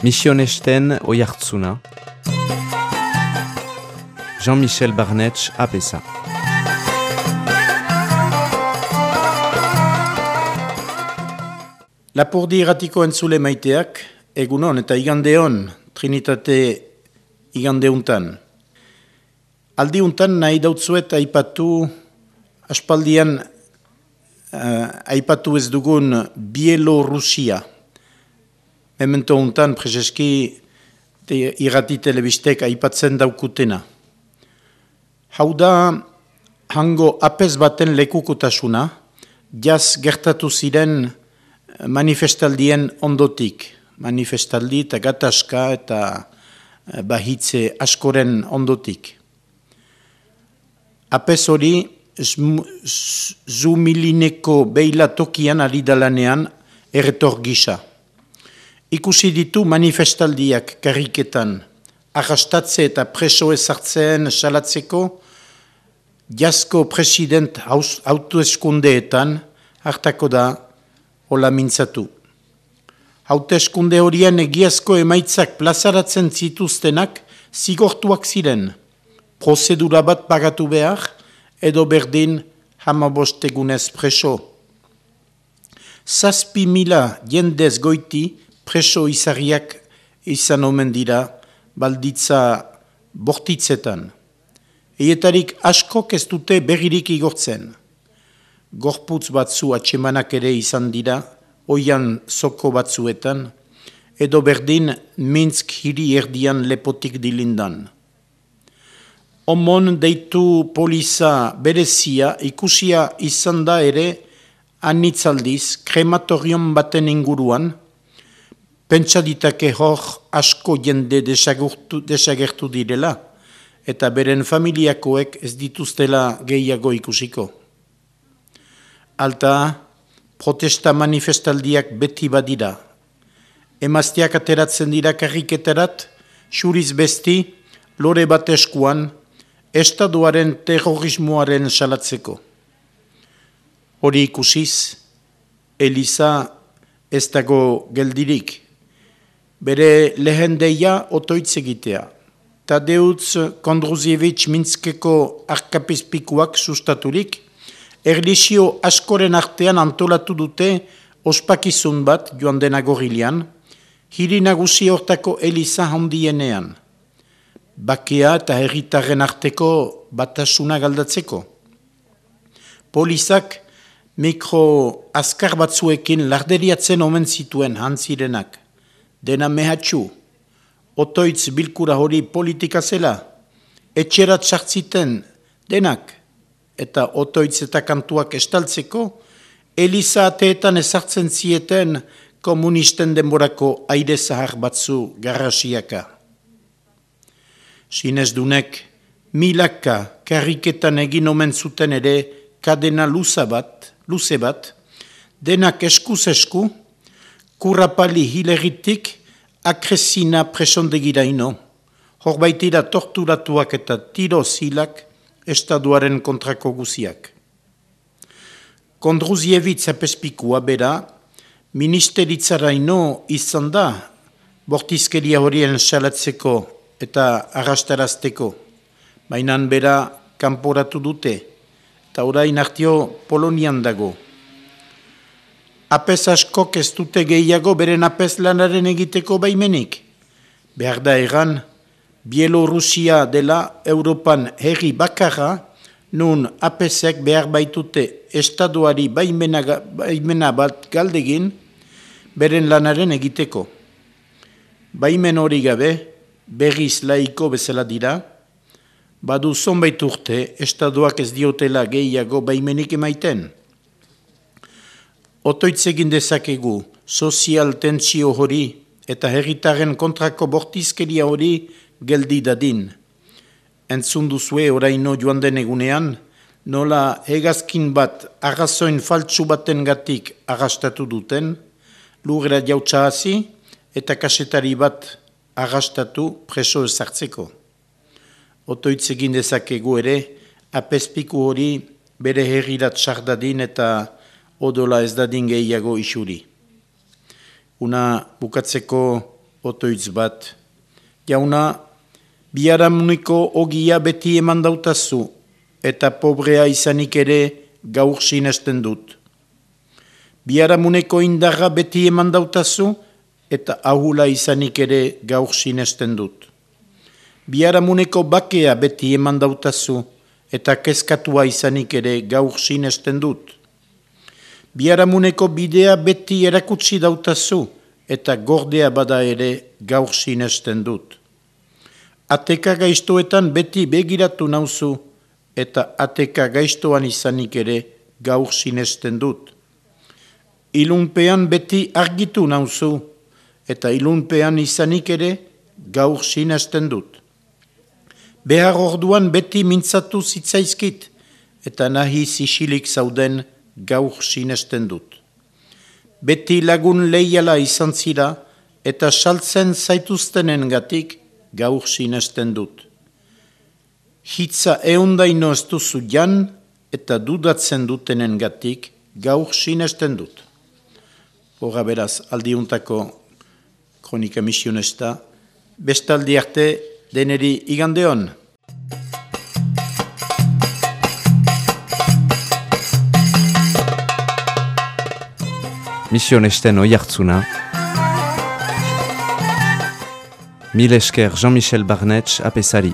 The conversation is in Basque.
Misionesten Oiartzuna, Jean-Michel Barnetx Apesa. Lapurdi irratiko entzule maiteak, egunon eta igandeon, Trinitate igandeuntan. Aldiuntan nahi dautzuet aipatu, aspaldian aipatu ez dugun Bielorrusia. Memento untan, prezeski irrati telebistek aipatzen daukutena. Hau da, hango apez baten lekukotasuna, jaz gertatu ziren manifestaldien ondotik. Manifestaldi eta gatazka eta bahitze askoren ondotik. Apez hori, Zumilineko beila tokian ari dalanean erretor gisa. Ikusi ditu manifestaldiak karriketan, arrastatze eta preso ezartzeen salatzeko, jasko president hauteskundeetan hartako da hola mintzatu. Hauteskunde horien egiazko emaitzak plazaratzen zituztenak zigortuak ziren, prozedura bat pagatu behar, edo berdin 15 egunez preso. 7.000 jendez goiti preso izarriak izan omen dira balditza bortitzetan. Eietarik askok ez dute berririk igortzen. Gorputz batzu atsemanak ere izan dira, oian zoko batzuetan, edo berdin Minsk hiri erdian lepotik dilindan. Omon deitu poliza berezia ikusia izan da ere anitzaldiz krematorion baten inguruan, pentsa ditake hor asko jende desagertu direla, eta beren familiakoek ez dituztela gehiago ikusiko. Alta, protesta manifestaldiak beti badira. Emazteak ateratzen dira karriketarat, xuriz besti, lore bat eskuan, Estaduaren terrorismoaren salatzeko. Hori ikusiz, Eliza ez dago geldirik. Bere lehen deia otoitz egitea. Tadeusz Kondruziewicz Minskeko arkapizpikuak sustaturik, erlisio askoren artean antolatu dute ospakizun bat joan den agorilean, hiri nagusi hortako Eliza handienean. Bakea eta herritarren arteko batasuna galdatzeko. Polizak mikro azkar batzuekin larderiatzen omen zituen hantzirenak. Dena mehatxu, otoitz bilkura hori politika zela, etxerat sartziten denak, eta otoitz eta kantuak estaltzeko, Eliza ateetan ezartzen zieten komunisten denborako aire zahar batzu garrasiaka. Sinezdunek, milaka karriketan egin omen zuten ere kadena luze bat, denak eskuz esku, kurrapali hileritik akresina presondegiraino, horbaitira torturatuak eta tiro zilak estaduaren kontrako guziak. Kondruziewicz apespikua bera, ministeritzaraino izan da, bortizkeria horien salatzeko eta arrastarazteko, bainan bera kanporatu dute, eta orain artio Polonian dago. Apez askok ez dute gehiago beren apez lanaren egiteko baimenik. Behar da egan, Bielorrusia dela Europan herri bakarra, nun apezek behar baitute estaduari baimena bat galdegin, beren lanaren egiteko. Baimen hori gabe, berriz laiko bezala dira, badu zonbait urte, estaduak ez diotela gehiago baimenik emaiten. Otoitz egin dezakegu, sozial tentsio hori eta herritaren kontrako bortizkeria hori geldi dadin. Entzun duzue oraino joan den egunean, nola hegazkin bat arrazoin faltsu baten gatik arrastatu duten, lurra jautsa hasi eta kasetari bat arrastatu preso ezartzeko. Otoitz egin dezakegu ere, apezpiku hori bere herrirat sardadin eta odola ez dadin gehiago isuri. Una bukatzeko otoitz bat. Jauna, biharamuneko ogia beti eman dautazu, eta pobrea izanik ere gaur sinesten dut. Biharamuneko indarra beti eman dautazu, eta ahula izanik ere gaur sinesten dut. Biharamuneko bakea beti eman dautazu, eta kezkatua izanik ere gaur sinesten dut. Biharamuneko bidea beti erakutsi dautazu, eta gordea bada ere gaur sinesten dut. Ateka gaiztoetan beti begiratu nauzu, eta ateka gaiztoan izanik ere gaur sinesten dut. Ilunpean beti argitu nauzu, eta ilunpean izanik ere gaur sinesten dut. Behar orduan beti mintzatu zitzaizkit, eta nahi zisilik zauden gaur sinesten dut. Beti lagun leiala izan zira, eta saltzen zaituztenen gatik gaur sinesten dut. Hitza eundaino ez duzu jan, eta dudatzen dutenen gatik gaur sinesten dut. Hora beraz, aldiuntako kronika misionesta, bestaldi arte deneri igandeon. Misionesten oihartzuna. Mil esker Jean-Michel Barnetx apesari.